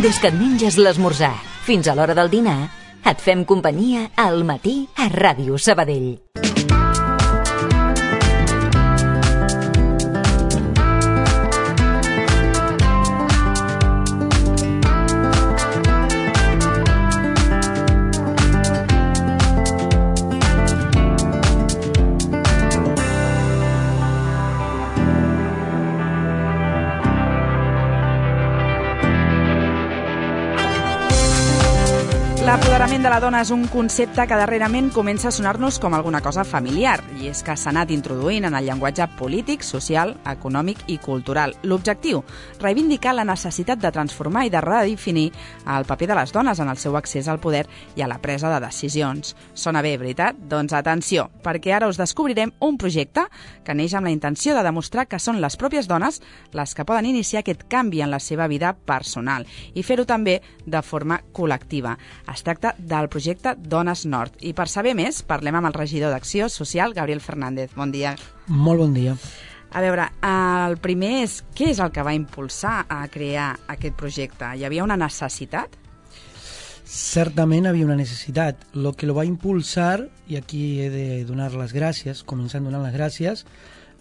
Des que et menges l'esmorzar fins a l'hora del dinar, et fem companyia al matí a Ràdio Sabadell. L'apoderament de la dona és un concepte que darrerament comença a sonar-nos com alguna cosa familiar, i és que s'ha anat introduint en el llenguatge polític, social, econòmic i cultural. L'objectiu, reivindicar la necessitat de transformar i de redefinir el paper de les dones en el seu accés al poder i a la presa de decisions. Sona bé, veritat? Doncs atenció, perquè ara us descobrirem un projecte que neix amb la intenció de demostrar que són les pròpies dones les que poden iniciar aquest canvi en la seva vida personal i fer-ho també de forma col·lectiva. Es tracta del projecte Dones Nord. I per saber més, parlem amb el regidor d'Acció Social, Gabriel Fernández. Bon dia. Molt bon dia. A veure, el primer és, què és el que va impulsar a crear aquest projecte? Hi havia una necessitat? Certament havia una necessitat. Lo que lo va impulsar, i aquí he de donar les gràcies, començant donant les gràcies,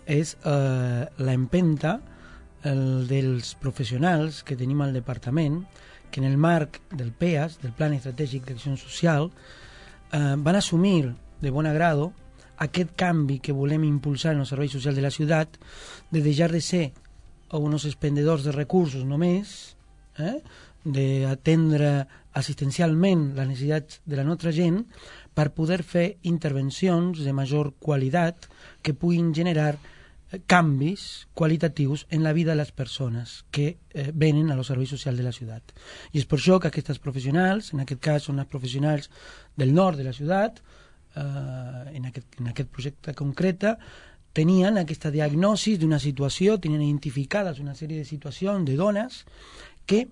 és la empenta dels professionals que tenim al departament, que en el marc del PEAS, del Plan Estratègic d'Acció Social, van assumir de bon agrado aquest canvi que volem impulsar en els serveis socials de la ciutat, de deixar de ser uns expendedors de recursos només, d'atendre assistencialment les necessitats de la nostra gent, per poder fer intervencions de major qualitat que puguin generar canvis qualitatius en la vida de les persones que venen a los serveis socials de la ciutat. I és per això que aquestes professionals, en aquest cas són les professionals del nord de la ciutat, en aquest projecte concret, tenien aquesta diagnosi d'una situació, tenien identificades una sèrie de situacions de dones que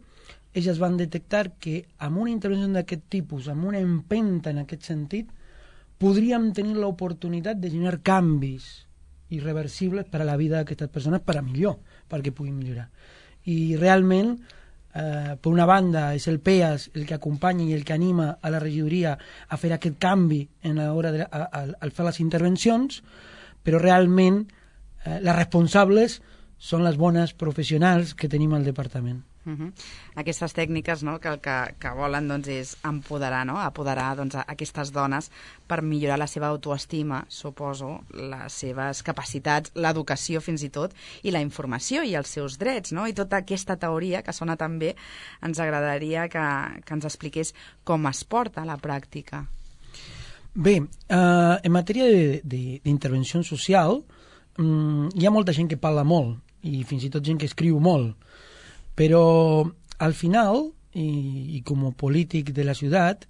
elles van detectar que amb una intervenció d'aquest tipus, amb una empenta en aquest sentit, podríem tenir l'oportunitat de generar canvis irreversibles per a la vida d'aquestes persones, per a millor, perquè puguin millorar. I realment, per una banda, és el PEAS el que acompanya i el que anima a la regidoria a fer aquest canvi en l'hora al fer les intervencions, però realment les responsables són les bones professionals que tenim al departament. Aquestes tècniques, no, que el que volen doncs, és empoderar, no? Apoderar doncs, aquestes dones per millorar la seva autoestima, suposo, les seves capacitats, l'educació fins i tot, i la informació i els seus drets, no? I tota aquesta teoria que sona tan bé, ens agradaria que ens expliqués com es porta a la pràctica. Bé, en matèria d'intervenció social hi ha molta gent que parla molt i fins i tot gent que escriu molt, però al final, i com a polític de la ciutat,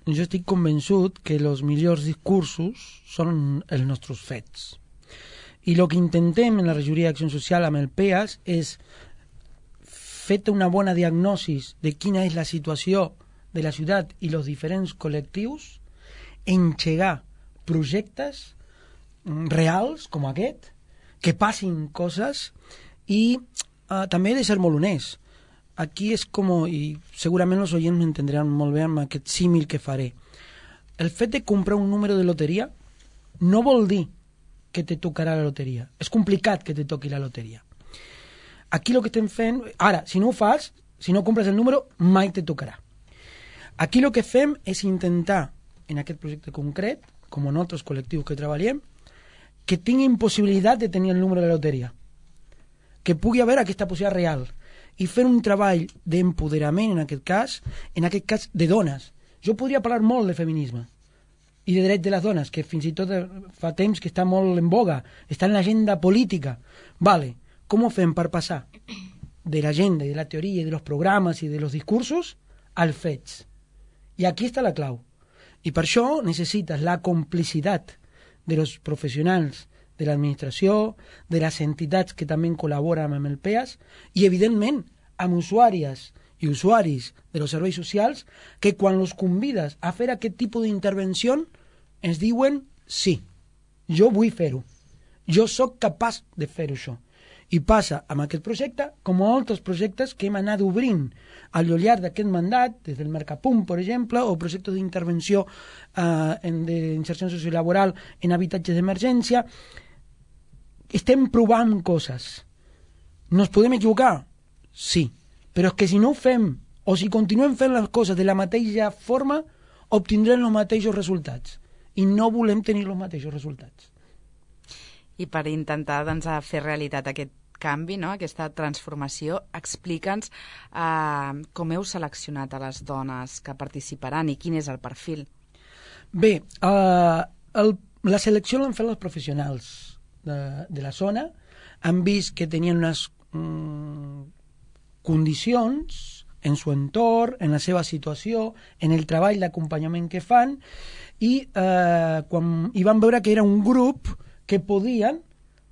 jo estic convençut que els millors discursos són els nostres fets. I el que intentem en la regidoria d'Acció Social amb el PEAS és fer una bona diagnosi de quina és la situació de la ciutat i els diferents col·lectius, engegar projectes reals com aquest, que passin coses i també he de ser molt honest. Aquí és com, i segurament els oients m'entendran molt bé amb aquest símil que faré. El fet de comprar un número de loteria no vol dir que te tocarà la loteria. És complicat que te toqui la loteria. Aquí el que estem fent... Ara, si no ho fas, si no compres el número, mai te tocarà. Aquí el que fem és intentar, en aquest projecte concret, com en altres col·lectius que treballem, que tinguin possibilitat de tenir el número de la loteria, que pugui haver aquesta possibilitat real i fer un treball d'empoderament en aquest cas de dones. Jo podria parlar molt de feminisme i de drets de les dones, que fins i tot fa temps que està molt en boga, està en l'agenda política. Vale, com ho fem per passar de l'agenda i de la teoria i dels programes i dels discursos als fets? I aquí està la clau. I per això necessites la complicitat dels professionals de l'administració, de les entitats que també col·laboren amb el PEAS i, evidentment, amb usuàries i usuaris dels serveis socials que quan els convides a fer aquest tipus d'intervenció ens diuen sí, jo vull fer-ho, jo sóc capaç de fer això. I passa amb aquest projecte com a altres projectes que hem anat obrint al llarg d'aquest mandat, des del Mercapunt, per exemple, o projectes d'intervenció d'inserció sociolaboral en habitatges d'emergència. Estem provant coses. Nos podem equivocar? Sí. Però és que si no ho fem, o si continuem fent les coses de la mateixa forma, obtindrem els mateixos resultats. I no volem tenir els mateixos resultats. I per intentar doncs, fer realitat aquest canvi, no? Aquesta transformació, explica'ns com heu seleccionat a les dones que participaran i quin és el perfil. Bé, la selecció l'han fet els professionals de la zona. Han vist que tenien unes condicions en su entorn, en la seva situació, en el treball d'acompanyament que fan, i van veure que era un grup que podien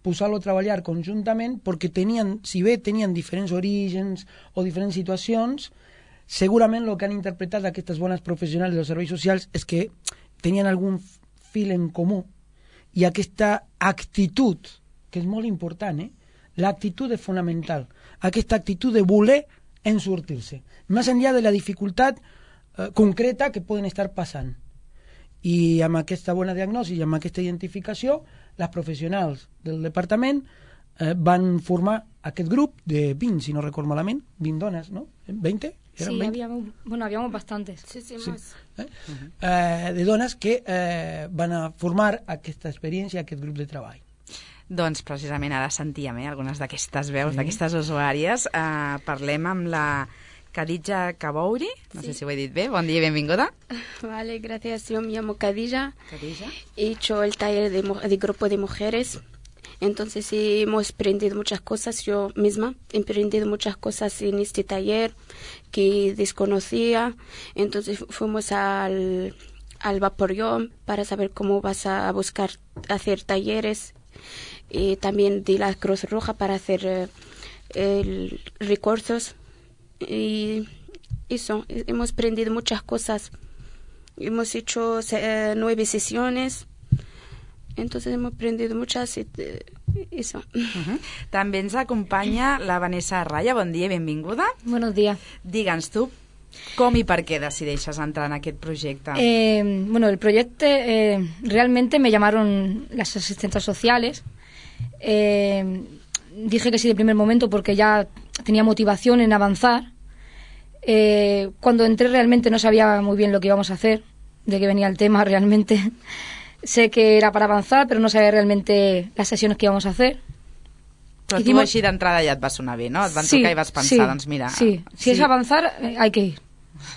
posar-lo a treballar conjuntament perquè tenien, si bé tenien diferents orígens o diferents situacions, segurament el que han interpretat aquestes bones professionals dels serveis socials és que tenien algun fil en comú, i aquesta actitud, que és molt important, l'actitud és fonamental, aquesta actitud de voler en sortir-se, més enllà de la dificultat concreta que poden estar passant. I amb aquesta bona diagnosi i amb aquesta identificació, les professionals del departament van formar aquest grup de 20, si no recordo malament, 20 dones, ¿no? ¿20? Sí, 20? Habíamos bastantes. Sí, más. De dones que van a formar aquesta experiència, aquest grup de treball. Doncs precisament ara sentíem algunes d'aquestes veus, d'aquestes usuàries. Parlem amb la Khadija Kabouri, no sé si ho he dit bé. Bon dia i benvinguda. Vale, gracias. Yo me llamo Khadija. He hecho el taller de grupo de mujeres. Entonces hemos aprendido muchas cosas. Yo misma he aprendido muchas cosas en este taller que desconocía. Entonces fuimos al Vaporeón para saber cómo vas a buscar hacer talleres. Y también de la Cruz Roja para hacer recursos. Y eso, hemos aprendido muchas cosas. Hemos hecho 9 sesiones. Entonces hemos aprendido muchas. Eso. També ens acompanya la Vanessa Raya. Bon dia i benvinguda. Buenos días. Digue'ns tu, com i per què decideixes entrar en aquest projecte? El proyecto realmente me llamaron las asistentes sociales. Dije que sí de primer momento porque ya tenía motivación en avanzar. Cuando entré realmente no sabía muy bien lo que íbamos a hacer, de qué venía el tema realmente. Sé que era para avanzar, pero no sabía realmente las sesiones que íbamos a hacer. Però tu així d'entrada ja et va sonar bé, no? Et van tocar i vas pensar, doncs mira... Sí, si es avanzar, hay que ir.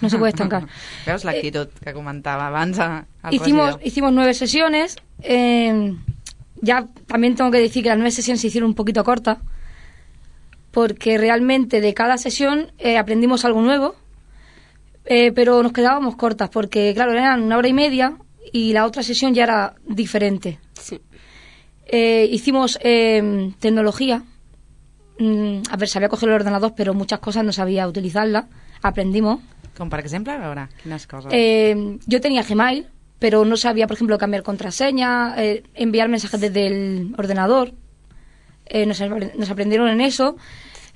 No se puede estancar. Veus l'actitud que comentava abans al regidor? Hicimos 9 sesiones. Ya también tengo que decir que las 9 sesiones se hicieron un poquito cortas, porque realmente de cada sesión aprendimos algo nuevo, pero nos quedábamos cortas, porque claro, eran 1 hora y media y la otra sesión ya era diferente. Sí. Hicimos tecnología. A ver, sabía coger el ordenador, pero muchas cosas no sabía utilizarlas. Aprendimos. Com per exemple, a veure, quines coses? Yo tenía Gmail, pero no sabía, por ejemplo, cambiar contraseña, enviar mensajes desde el ordenador. Nos aprendieron en eso.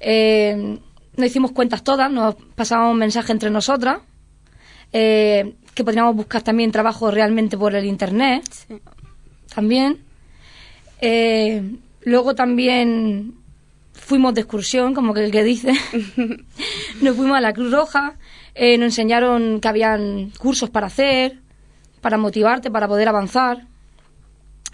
Nos hicimos cuentas todas, nos pasábamos mensajes entre nosotras, que podríamos buscar también trabajo realmente por el internet. Sí. También. Luego también fuimos de excursión, como que el que dice. Nos fuimos a la Cruz Roja, nos enseñaron que habían cursos para hacer, para motivarte, para poder avanzar.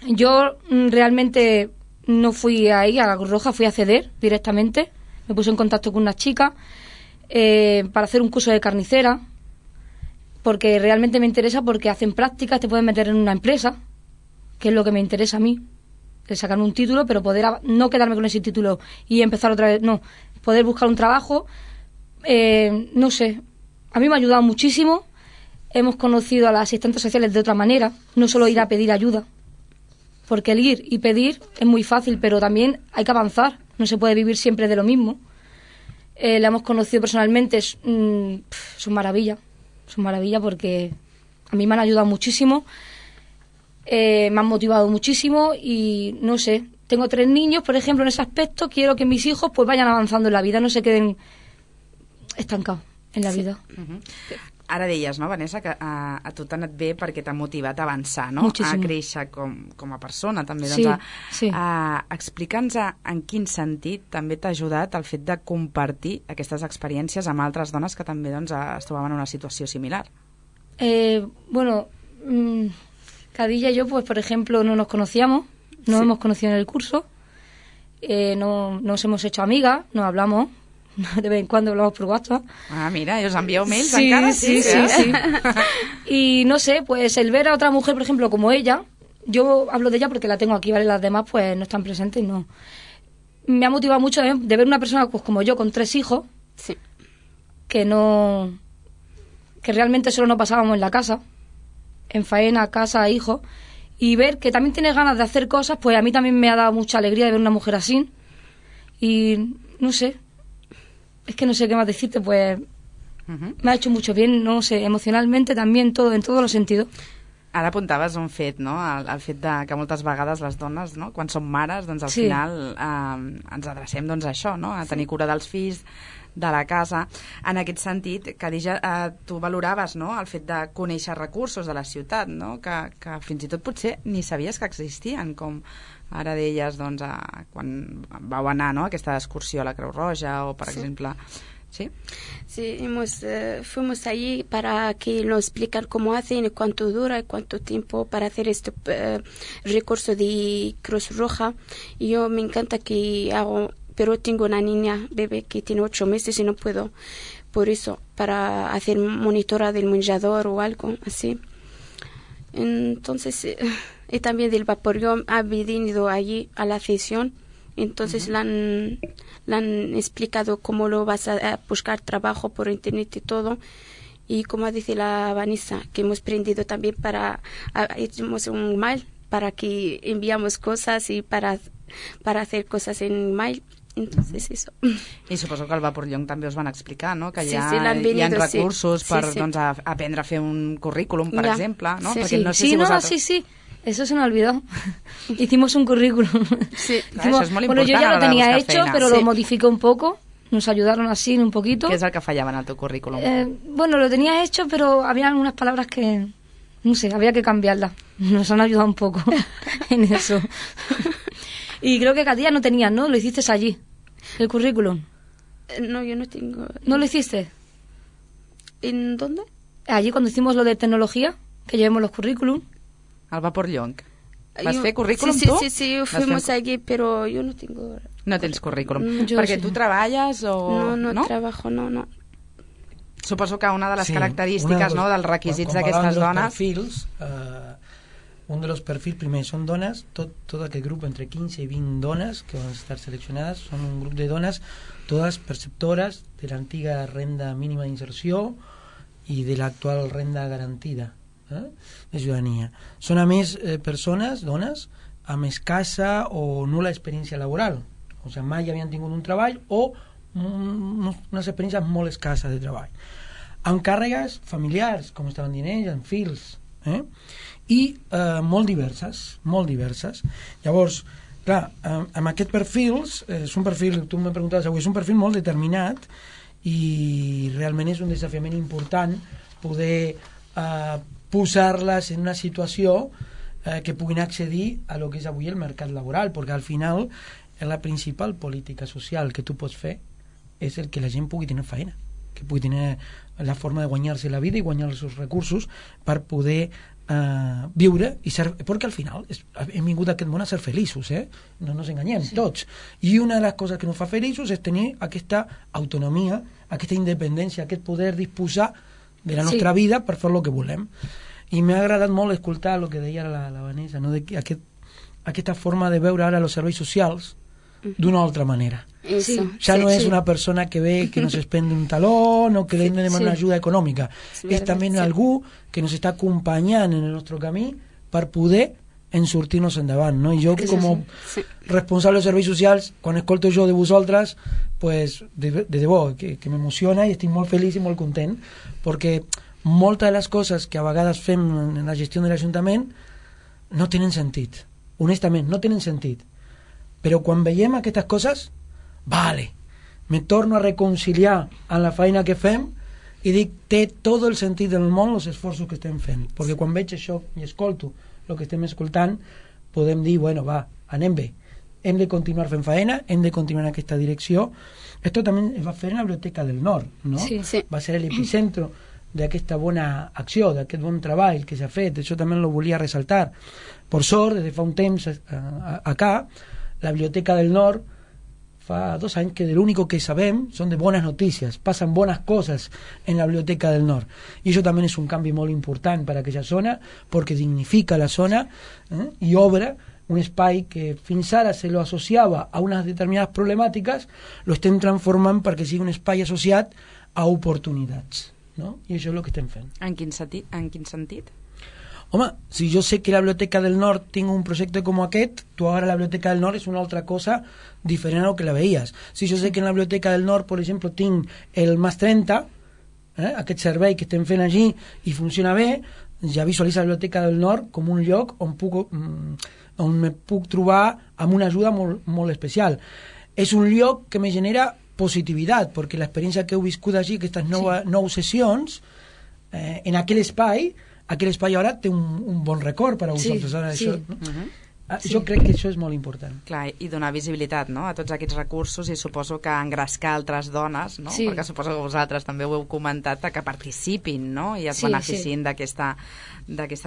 Yo realmente no fui ahí a la Cruz Roja, fui a CEDER directamente. Me puse en contacto con una chica para hacer un curso de carnicera, porque realmente me interesa, porque hacen prácticas, te pueden meter en una empresa, que es lo que me interesa a mí, de sacarme un título, pero poder no quedarme con ese título y empezar otra vez, no, poder buscar un trabajo. No sé, a mí me ha ayudado muchísimo. Hemos conocido a las asistentes sociales de otra manera, no solo ir a pedir ayuda, porque el ir y pedir es muy fácil, pero también hay que avanzar, no se puede vivir siempre de lo mismo. La hemos conocido personalmente, son maravilla porque a mí me han ayudado muchísimo, me han motivado muchísimo y no sé, tengo 3 niños, por ejemplo, en ese aspecto, quiero que mis hijos pues vayan avanzando en la vida, no se queden estancados en la vida. Ara deies, no, Vanessa, que a tu t'ha anat bé perquè t'ha motivat a avançar, no? Moltíssim. A créixer com a persona, també. Sí, Doncs, sí. Explica'ns en quin sentit també t'ha ajudat el fet de compartir aquestes experiències amb altres dones que també doncs, es trobaven en una situació similar. Bueno, Khadija y yo, pues por ejemplo, no nos conocíamos, nos hemos conocido en el curso, no nos hemos hecho amigas, nos hablamos, de vez en cuando hablamos por WhatsApp. Ah, mira, ¿os envió mails sí, encara? Sí. Y no sé, pues el ver a otra mujer, por ejemplo, como ella, yo hablo de ella porque la tengo aquí, ¿vale? Las demás pues no están presentes, no. Me ha motivado mucho de ver una persona pues como yo, con 3 hijos, que realmente solo nos pasábamos en la casa, en faena, casa, hijos, y ver que también tiene ganas de hacer cosas, pues a mí también me ha dado mucha alegría de ver una mujer así. Y no sé, es que no sé qué más decirte, pues me ha hecho mucho bien, no sé, emocionalmente también, todo, en todos los sentidos. Ara apuntaves un fet, no? El fet de que moltes vegades les dones, no? Quan som mares, doncs al final ens adrecem doncs, a això, no? A tenir cura dels fills, de la casa. En aquest sentit, Khadija, tu valoraves, no? El fet de conèixer recursos de la ciutat, no? Que fins i tot potser ni sabies que existien, com ara deies, doncs, quan vau anar, no? A aquesta excursió a la Creu Roja o, per exemple... ¿Sí? Sí, fuimos allí para que nos explican cómo hacen y cuánto dura y cuánto tiempo para hacer este recurso de Cruz Roja. Y yo me encanta que hago, pero tengo una niña bebé que tiene 8 meses y no puedo, por eso, para hacer monitora del manjador o algo así. Entonces, y también del vaporium ha venido allí a la sesión. Entonces le han explicado cómo lo vas a buscar trabajo por internet y todo. Y como dice la Vanessa, que hemos aprendido también hicimos un mail para que enviamos cosas y para hacer cosas en mail. Entonces eso. I suposo que al Vaporllong també us van explicar, no? Que hi ha recursos per doncs, aprendre a fer un currículum, per exemple, no? Perquè no sé si vosaltres... Sí. Eso se me ha olvidado. Hicimos un currículum. Sí, claro, eso es muy importante. Bueno, yo ya lo tenía hecho, pero lo modifiqué un poco. Nos ayudaron así un poquito. ¿Qué es el que fallaba en tu currículum? Bueno, lo tenía hecho, pero había algunas palabras que, no sé, había que cambiarlas. Nos han ayudado un poco en eso. Y creo que Khadija no tenías, ¿no? Lo hiciste allí, el currículum. No, yo no tengo. ¿No lo hiciste? ¿En dónde? Allí cuando hicimos lo de tecnología, que llevemos los currículum. Al Vaporllong. ¿Vas fer currículum tu? Sí, fuimos allí, pero yo no tengo... No tens currículum. Perquè tu treballes o... No trabajo, no. Suposo que una de les característiques, no, dels requisits d'aquestes dones... Un de los perfiles, primero, son donas, todo aquel grupo entre 15 y 20 donas que van a estar seleccionadas, son un grupo de donas, todas perceptoras de la antigua renda mínima de inserció i de l'actual renda garantida de ciutadania. Són a més persones, dones, amb escassa o nul·la experiència laboral, o sigui, mai havien tingut un treball o unes experiències molt escasses de treball, amb càrregues familiars, com estaven dient ells, amb fills, i molt diverses. Llavors, clar, amb aquests perfils, és un perfil, tu me preguntaves avui, és un perfil molt determinat i realment és un desafiament important poder posar-les en una situació que puguin accedir a lo que és avui el mercat laboral, perquè al final la principal política social que tu pots fer és el que la gent pugui tenir feina, que pugui tenir la forma de guanyar-se la vida i guanyar els seus recursos per poder viure i ser, perquè al final hem vingut a aquest món a ser feliços, no ens enganyem, tots, i una de les coses que ens fa feliços és tenir aquesta autonomia, aquesta independència, aquest poder disposar de la nostra vida per fer el que volem. I m'ha agradat molt escoltar el que deia la Vanessa, no? Aquesta forma de veure ara els serveis socials d'una altra manera. Ja no és una persona que ve que nos espende un talón o que le demana una ajuda econòmica, és també algú que nos està acompanyant en el nostre camí per poder sortir-nos endavant, no? I jo com responsable de serveis socials, quan escolto jo de vosaltres, pues de debò que m'emociona i estic molt feliç i molt content, perquè moltes de les coses que a vegades fem en la gestió de l'Ajuntament no tenen sentit, honestament no tenen sentit, Però quan veiem aquestes coses, vale, me torno a reconciliar amb la feina que fem i dic, té tot el sentit del món els esforços que estem fent, perquè quan veig això i escolto el que estem escoltant, podem dir, bueno, va, anem bé, hem de continuar fent feina, hem de continuar en aquesta direcció. Esto també es va fer en la Biblioteca del Nord, no? Sí. Va ser l'epicentro d'aquesta bona acció, d'aquest bon treball que s'ha fet. Això també lo volia ressaltar. Per sort, des de fa un temps acá, la Biblioteca del Nord fa 2 anys que de l'único que sabem són de bones notícies, passen bones coses en la Biblioteca del Nord. I això també és un canvi molt important per a aquella zona, perquè dignifica la zona i obre un espai que fins ara se lo associava a unes determinades problemàtiques, lo estem transformant perquè sigui un espai associat a oportunitats, no? I això és el que estem fent. En quin sentit? Home, si jo sé que la Biblioteca del Nord tinc un projecte com aquest, tu ara la Biblioteca del Nord és una altra cosa diferent a lo que la veies. Si jo sé que en la Biblioteca del Nord, per exemple, tinc el Mas 30, aquest servei que estem fent allí i funciona bé, ja visualitza la Biblioteca del Nord com un lloc on me puc trobar amb una ajuda molt, molt especial. És un lloc que me genera positivitat, perquè l'experiència que heu viscut allí, aquestes 9 sessions, en aquell espai ara té un bon record per a vosaltres. Ara, sí. això, no? Jo crec que això és molt important. Clar, i donar visibilitat, no?, a tots aquests recursos, i suposo que engrescar altres dones, no? Sí. Perquè suposo que vosaltres també ho heu comentat, que participin, no?, i es beneficin d'aquesta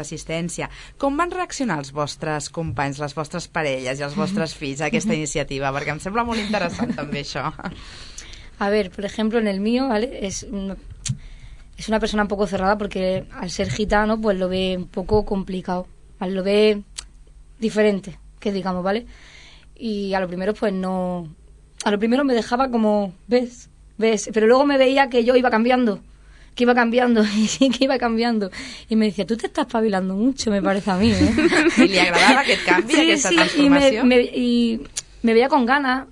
assistència. Com van reaccionar els vostres companys, les vostres parelles i els vostres fills a aquesta iniciativa? Perquè em sembla molt interessant també això. A ver, por ejemplo, en el mío, ¿vale? Es una persona un poco cerrada porque al ser gitano pues lo ve un poco complicado, ¿vale? Lo ve diferente, que digamos, ¿vale? Y a lo primero pues no... A lo primero me dejaba como, ¿ves? Pero luego me veía que yo iba cambiando, y iba cambiando. Y me decía, tú te estás espabilando mucho, me parece a mí, ¿eh? I li agradava aquest canvi, aquesta transformació? Y me veía con ganas.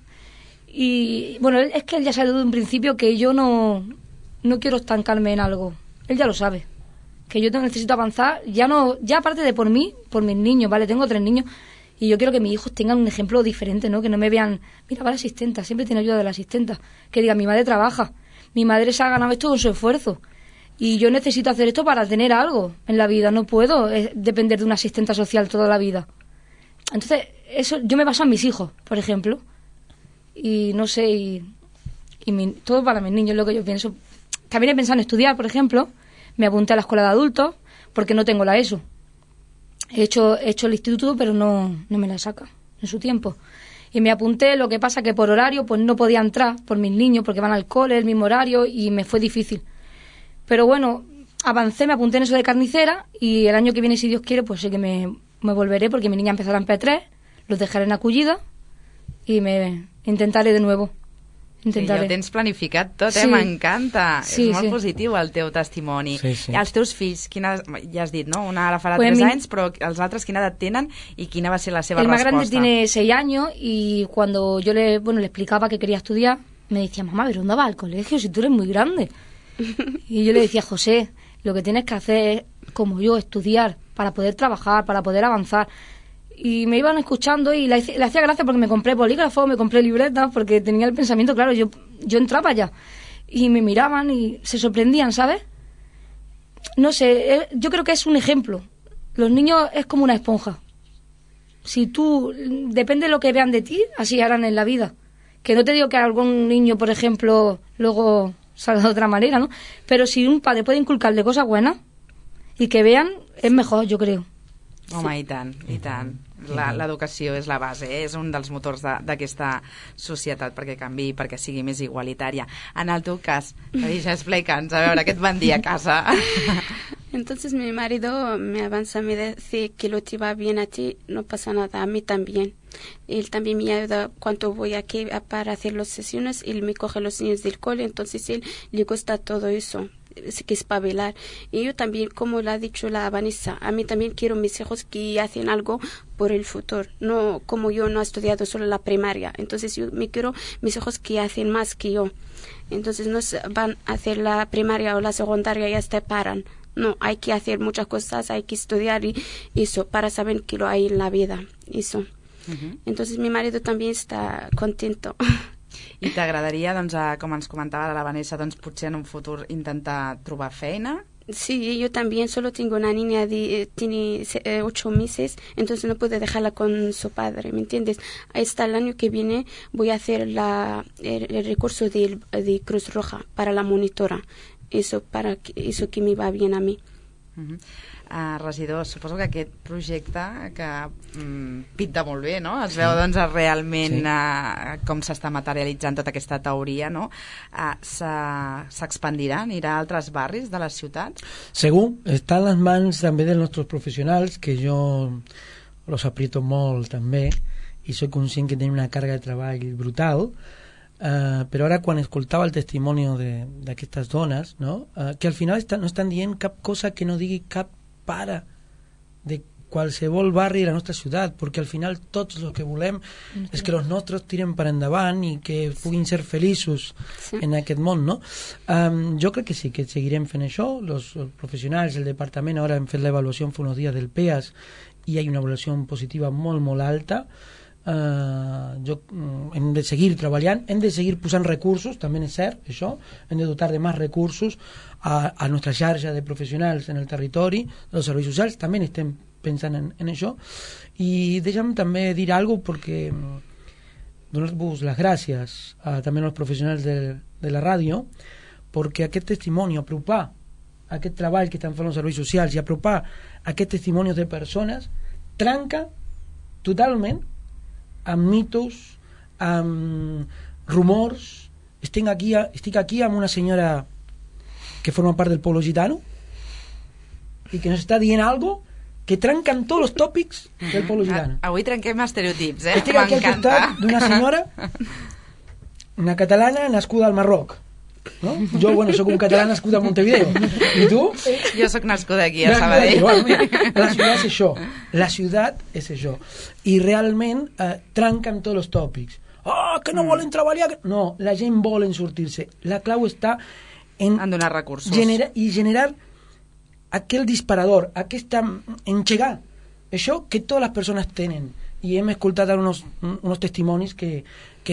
Y bueno, es que él ya sabe desde un principio que yo no quiero estancarme en algo. Él ya lo sabe. Que yo necesito avanzar, ya aparte de por mí, por mis niños, ¿vale? Tengo 3 niños y yo quiero que mis hijos tengan un ejemplo diferente, ¿no? Que no me vean, mira, va la asistenta, siempre tiene ayuda de la asistenta. Que diga, mi madre trabaja, mi madre se ha ganado esto con su esfuerzo y yo necesito hacer esto para tener algo en la vida. No puedo depender de una asistenta social toda la vida. Entonces, eso yo me baso en mis hijos, por ejemplo. Y no sé, todo para mis niños es lo que yo pienso. También he pensado en estudiar, por ejemplo. Me apunté a la escuela de adultos porque no tengo la ESO. He hecho el instituto, pero no me la saca en su tiempo. Y me apunté, lo que pasa que por horario pues no podía entrar por mis niños porque van al cole, el mismo horario, y me fue difícil. Pero bueno, avancé, me apunté en eso de carnicera y el año que viene, si Dios quiere, pues sí que me volveré porque mi niña empezará en P3, los dejaré en acollida y me intentaré de nuevo. Sí, ja ho tens planificat tot, sí. M'encanta. Sí, és molt positiu el teu testimoni. Sí, sí. I els teus fills, ja has dit, ¿no? Una ara farà pues 3 anys, però els altres quina edat tenen i quina va ser la seva respuesta? El más resposta? grande tiene 6 años y cuando yo le explicaba que quería estudiar, me decía, mamá, ¿pero dónde vas al colegio si tú eres muy grande? Y yo le decía, José, lo que tienes que hacer es, como yo, estudiar para poder trabajar, para poder avanzar. Y me iban escuchando y le hacía gracia porque me compré bolígrafos, me compré libretas, porque tenía el pensamiento claro, yo entraba ya. Y me miraban y se sorprendían, ¿sabes? No sé, yo creo que es un ejemplo. Los niños es como una esponja. Si tú, depende de lo que vean de ti, así harán en la vida. Que no te digo que algún niño, por ejemplo, luego salga de otra manera, ¿no? Pero si un padre puede inculcarle cosas buenas y que vean, es mejor, yo creo. Home, i tant, i tant. L'educació és la base, és un dels motors d'aquesta societat perquè canviï, perquè sigui més igualitària. En el teu cas, Khadija, explica'ns, a veure, què et van dir a casa? Entonces mi marido me avanza, me dice que lo te va bien a ti, no pasa nada, a mí también. Él también me ayuda cuando voy aquí para hacer las sesiones, él me coge los niños del cole, entonces él le gusta todo eso, que espabilar. Y yo también, como lo ha dicho la Vanessa, a mí también quiero mis hijos que hacen algo por el futuro, no como yo no he estudiado solo la primaria, entonces yo me quiero mis hijos que hacen más que yo. Entonces no van a hacer la primaria o la secundaria y ya se paran. No, hay que hacer muchas cosas, hay que estudiar y eso, para saber que lo hay en la vida, eso. Entonces mi marido también está contento. I t'agradaria, doncs, com ens comentava la Vanessa, doncs potser en un futur intentar trobar feina? Sí, yo también solo tengo una niña tiene 8 meses, entonces no puedo dejarla con su padre, ¿me entiendes? Hasta el año que viene voy a hacer el recurso de Cruz Roja para la monitora. Eso que me va bien a mí. Regidor, suposo que aquest projecte que pinta molt bé, no? Es veu doncs realment com s'està materialitzant tota aquesta teoria, no? S'expandirà, anirà a altres barris de les ciutats? Segur, està en les mans també dels nostres professionals, que jo los aprieto molt també, i soc conscient que tenen una càrrega de treball brutal, però ara quan escoltava el testimoni d'aquestes dones, no? Que al final no estan dient cap cosa que no digui cap pare de qualsevol barri de la nostra ciutat, perquè al final tots el que volem és que els nostres tiren per endavant i que puguin ser feliços en aquest món, no? Jo crec que sí, que seguirem fent això. Els professionals, el departament, ara hem fet l'avaluació fa uns dies del PEAS i hi ha una avaluació positiva molt, molt alta. Hem de seguir treballant, hem de seguir posant recursos, també és cert això, hem de dotar de més recursos a nostra xarxa de professionals en el territori, dels serveis socials, també estem pensant en això. I deixa'm també dir alguna cosa, perquè donar-vos les gràcies també als professionals de la ràdio, perquè aquest testimoni, apropar aquest treball que estan fent els serveis socials i apropar aquest testimoni de persones, trenca totalment amb mitos, amb rumors. Estic aquí amb una senyora que forma part del pueblo gitano i que nos està dient algo que trenca amb tots els tòpics del pueblo gitano. Avui trenquem estereotips, Estic aquí al costat d'una senyora, una catalana nascuda al Marroc, no? Jo, soc un català nascut a Montevideo. I tu? Jo soc nascuda aquí, a Sabadell. La ciutat és això. La ciutat és això. I realment trenca amb tots els tòpics. Que no volen treballar. No, la gent volen sortir-se. La clau està en donar recursos. Generar aquell disparador, engegar això que totes les persones tenen. I hem escoltat uns testimonis que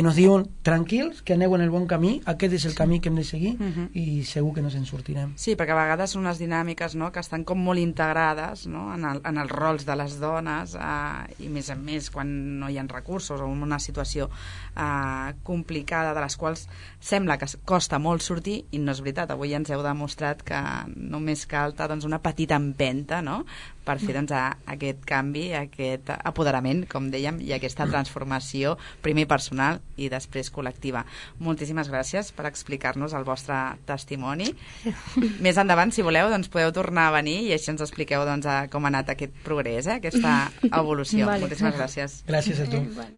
nos diuen tranquils, que aneu en el bon camí, aquest és el camí que hem de seguir i segur que no se'n sortirem. Sí, perquè a vegades són unes dinàmiques, no?, que estan com molt integrades, no?, en els rols de les dones i més a més quan no hi ha recursos o en una situació complicada de les quals sembla que costa molt sortir i no és veritat. Avui ens heu demostrat que només cal doncs, una petita empenta, no?, per fer doncs, aquest canvi, aquest apoderament, com dèiem, i aquesta transformació, primer personal i després col·lectiva. Moltíssimes gràcies per explicar-nos el vostre testimoni. Més endavant, si voleu, doncs podeu tornar a venir i així ens expliqueu doncs, com ha anat aquest progrés, aquesta evolució. Moltíssimes gràcies. Gràcies a tu.